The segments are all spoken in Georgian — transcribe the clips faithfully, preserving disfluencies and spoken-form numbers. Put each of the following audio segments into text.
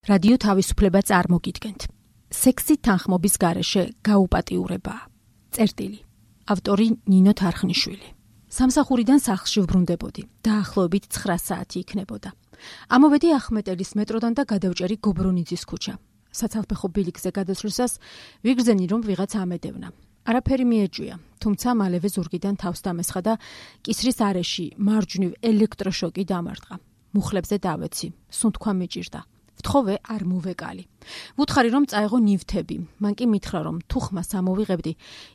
რადიო თავისუფლება წარმოგიდგენთ. სექსი თანხმობის გარეშე გაუპატიურებაა. წერტილი. ავტორი ნინო თარხნიშვილი. სამსახურიდან სახლში ვბრუნდებოდი. დაახლოებით ცხრა საათი იქნებოდა. ამოვედი ახმეტელის მეტროდან და გადავჭერი გობრონიძის ქუჩა. საცალფეხო ბილიკზე გადასვლისას ვიგრძენი რომ ვიღაც ამედევნა. არაფერი მიეჭვია, თუმცა მალევე ზურგიდან თავს დამესხა და კისრის არეში მარჯვნივ ელექტროშოკი დამარტყა. მუხლებზე დავეცი, სუნთქვა მიჭირდა. ვთხოვე არ მოვეკალი. ვუთხარი რომ წაეღო ნივთები, მან კი მითხრა რომ თუ ხმას ამოვიღებდი,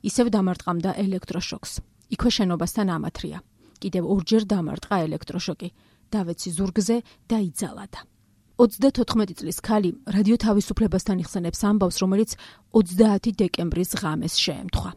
ისევ დამარტყამდა ელექტროშოკს. იქვე შენობასთან ამათრია. კიდევ ორჯერ დამარტყა ელექტროშოკი. დავეცი ზურგზე და იძალადა. ოცდათოთხმეტი წლის ქალი რადიო თავისუფლებასთან იხსენებს ამბავს, რომელიც ოცდაათი დეკემბრის ღამეს შეემთხვა.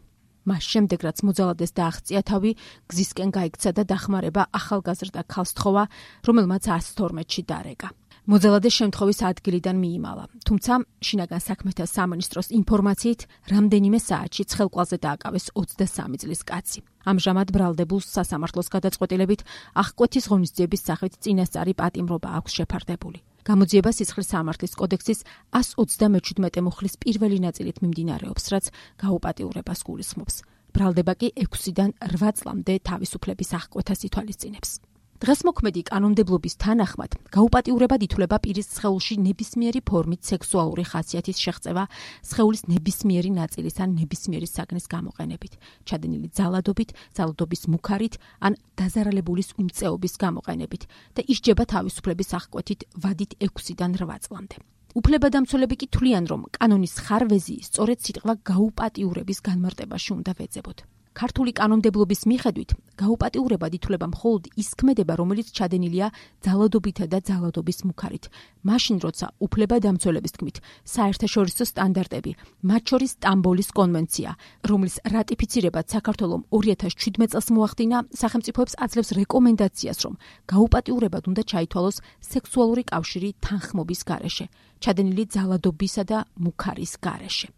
მას შემდეგ რაც მოძალადეს დააღწია თავი, გზისკენ გაიქცა და დახმარება ახალგაზრდა ქალს თხოვა, რომელმაც ას თორმეტში დარეკა. მოძალადეს შემთხვევის ადგილიდან მიიმალა, თუმცა შინაგან საქმეთა სამინისტროს ინფორმაციით რამდენიმე საათში ცხელყვალზე დააკავეს ოცდასამი წლის კაცი. ამჟამად ბრალდებულს სასამართლოს გადაწყვეტილებით აღკვეთის ღონისძიების სახით წინასწარი პატიმრობა აქვს შეფარდებული. გამოძიება სიცხლის სამართლის კოდექსის ას ოცდამეჩვიდმეტე მუხლის პირველი ნაწილით მიმდინარეობს, რაც გაუპატიურებას გულისხმობს. ბრალდება კი ექვსიდან რვა წლამდე თავისუფლების აღკვეთას ითვალისწინებს. დღესმოქმედი კანონმდებლობის თანახმად, გაუპატიურებად ითვლება პირის სხეულში ნებისმიერი ფორმით სექსუალური ხასიათის შეღწევა სხეულის ნებისმიერი ნაწილის ან ნებისმიერი საგნის გამოყენებით, ჩადენილი ძალადობით, ძალადობის მუქარით ან დაზარალებულის უმწეობის გამოყენებით და ისჯება თავისუფლების აღკვეთით ვადით ექვსიდან რვა წლამდე. უფლებადამცველები კი თვლიან, რომ კანონის ხარვეზი სწორედ სიტყვა გაუპატიურების განმარტებაში უნდა ვეძებოთ. ქართული კანონმდებლობის მიხედვით, გაუპატიურებად ითვლება მხოლოდ ის ქმედება, რომელიც ჩადენილია ძალადობითა და ძალადობის მუქარით. მაშინ, როცა უფლებადამცველების თქმით, საერთაშორისო სტანდარტები, მათ შორის სტამბოლის კონვენცია, რომლის რატიფიცირებაც საქართველომ ორი ათას შვიდმეტ წელს მოახდინა, სახელმწიფოებს აძლევს რეკომენდაციას, რომ გაუპატიურებად უნდა ჩაითვალოს სექსუალური კავშირი თანხმობის გარეშე, ჩადენილი ძალადობისა და მუქარის გარეშე.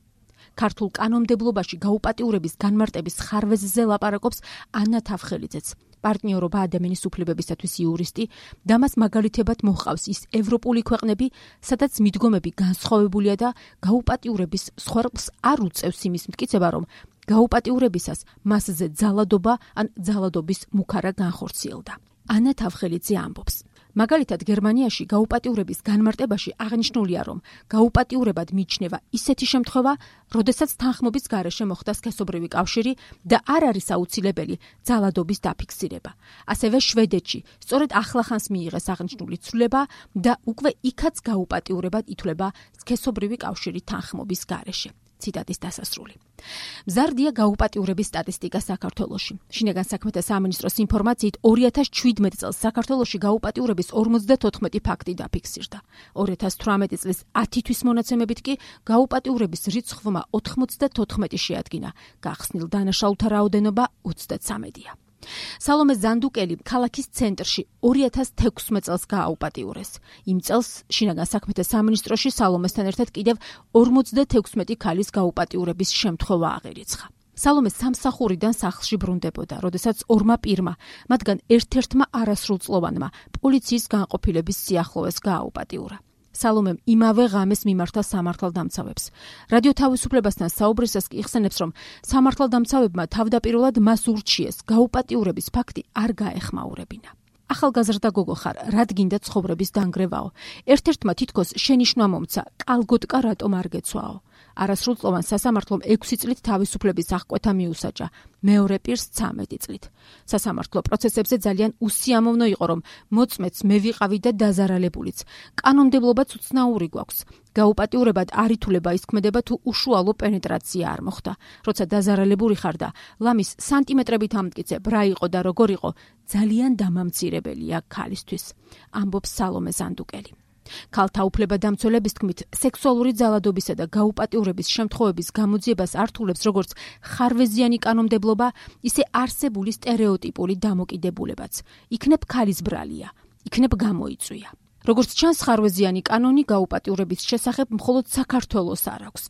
ქართულ კანონმდებლობაში გაუპატიურების განმარტების ხარვეზზე ლაპარაკობს ანა თავხელიძეც, პარტნიორობა ადამიანის უფლებებისათვის იურისტი და მას მაგალითებად მოჰყავს ის ევროპული ქვეყნები, სადაც მიდგომები განსხვავებულია და გაუპატიურების სხვარყს არ უწევს იმის მტკიცება, რომ გაუპატიურებისას მასზე ძალადობა ან ძალადობის მუქარა განხორციელდა. ანა თავხელიძე ამბობს. მაგალითად, გერმანიაში გაუპატიურების განმარტებაში აღნიშნულია, რომ გაუპატიურებად მიიჩნევა ისეთი შემთხვევა, როდესაც თანხმობის გარეშე მოხდა სქესობრივი კავშირი და არ არის აუცილებელი ძალადობის დაფიქსირება. ასევე შვედეთში სწორედ ახლახანს მიიღეს აღნიშნული ცვლილება და უკვე იქაც გაუპატიურებად ითვლება სქესობრივი კავშირი თანხმობის გარეშე. ციტატის დასასრული. მზარდია გაუპატიურების სტატისტიკა საქართველოში. შინაგან საქმეთა სამინისტროს ინფორმაციით ორი ათას შვიდმეტ წელს საქართველოში გაუპატიურების ორმოცდათოთხმეტი ფაქტი დაფიქსირდა. ორი ათას თვრამეტი წლის ათი თვის მონაცემებით კი გაუპატიურების რიცხვმა ოთხმოცდათოთხმეტი შეადგინა. გახსნილ დანაშაულთა რაოდენობა ოცდაცამედია. სალომე ზანდუკელი ქალაქის ცენტრში ორი ათას თექვსმეტ წელს გააუპატიურეს. იმ წელს შინაგან საქმეთა სამინისტროში სალომესთან ერთად კიდევ ორმოცდათექვსმეტი ქალის გაუპატიურების შემთხვევა აღერიცხა. სალომე სამსახურიდან სახლში ბრუნდებოდა, როდესაც ორმა პირმა, მათგან ერთ-ერთმა არასრულწლოვანმა, პოლიციის განყოფილების სიახლოვეს გააუპატიურა. სალომემ იმავე ღამეს მიმართა სამართალდამცავებს. რადიო თავისუფლებასთან საუბრისას კი იხსენებს, რომ სამართალდამცავებმა თავდაპირველად მას ურჩიეს გაუპატიურების ფაქტი არ გაეხმაურებინა. ახალგაზრდა გოგო ხარ, რად გინდა ცხოვრების დანგრევაო? ერთ-ერთმა თითქოს შენიშვნა მომცა, კალგოტკა რატომ არ გეცვაო? არასრულწლოვან სასამართლომ ექვსი წლით თავისუფლების აღკვეთა მიუსაჯა, მეორე პირს ცამეტი წლით. სასამართლო პროცესებზე ძალიან უსიამოვნო იყო, რომ მოწმეც მე ვიყავი და დაზარალებულიც. კანონმდებლობაც უცნაური გვაქვს. გაუპატიურებად არ ითვლება ის ქმედება, თუ უშუალო პენეტრაცია არ მოხდა. როცა დაზარალებული ხარ და ლამის სანტიმეტრებით ამტკიცებ, რა იყო და როგორ იყო, ძალიან დამამცირებელია ქალისთვის, ამბობს სალომე ზანდუკელი. ქალთა უფლებადამცველების თქმით, სექსუალური ძალადობისა და გაუპატიურების შემთხვევების გამოძიებას ართულებს როგორც ხარვეზიანი კანონმდებლობა, ისე არსებული სტერეოტიპული დამოკიდებულებაც. იქნებ ქალის ბრალია, იქნებ გამოიწვია. როგორც ჩანს, ხარვეზიანი კანონი გაუპატიურების შესახებ მხოლოდ საქართველოს არ აქვს.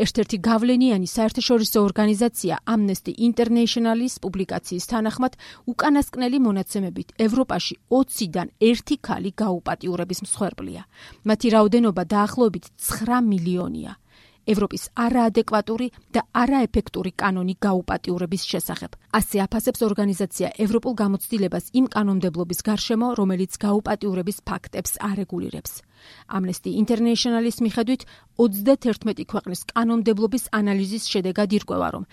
ერთ-ერთი გავლენიანი საერთაშორისო ორგანიზაცია Amnesty International-ის პუბლიკაციის თანახმად, უკანასკნელი მონაცემებით ევროპაში ოციდან ერთი ქალი გაუპატიურების მსხვერპლია. მათი რაოდენობა დაახლოებით ცხრა მილიონია. ევროპის არაადეკვატური და არაეფექტური კანონი გაუპატიურების შესახებ. ასე აფასებს ორგანიზაცია ევროპულ გამოცდილებას იმ კანონმდებლობის გარშემო, რომელიც გაუპატიურების ფაქტებს არეგულირებს. Amnesty International-ის მიხედვით, ოცდათერთმეტი ქვეყნის კანონმდებლობის ანალიზის შედეგად ირკვევა, რომ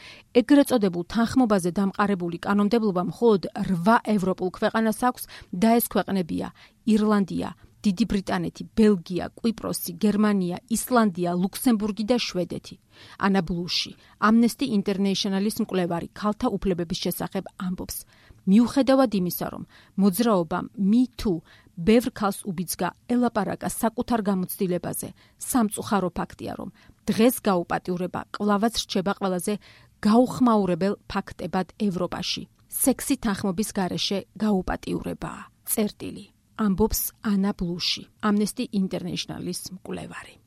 ეგრეთ წოდებულ თანხმობაზე დამყარებული კანონმდებლობა მხოლოდ რვა ევროპულ ქვეყანას აქვს და ეს ქვეყნებია ირლანდია, დიდი ბრიტანეთი, ბელგია, კვიპროსი, გერმანია, ისლანდია, ლუქსემბურგი და შვედეთი. ანა ბლუში, Amnesty International-ის მკვლევარი ქალთა უფლებების შესახებ ამბობს. მიუხედავად იმისა, რომ მოძრაობამ Me Too ბევრ ქალს უბიძგა ელაპარაკა საკუთარ გამოცდილებაზე, სამწუხარო ფაქტია, რომ დღეს გაუპატიურება კვლავაც რჩება ყველაზე გაუხმაურებელ ფაქტებად ევროპაში. სექსი თანხმობის გარეშე გაუპატიურებაა. წერტილი. ამბობს ანა ბლუში, Amnesty International-ის მკვლევარი.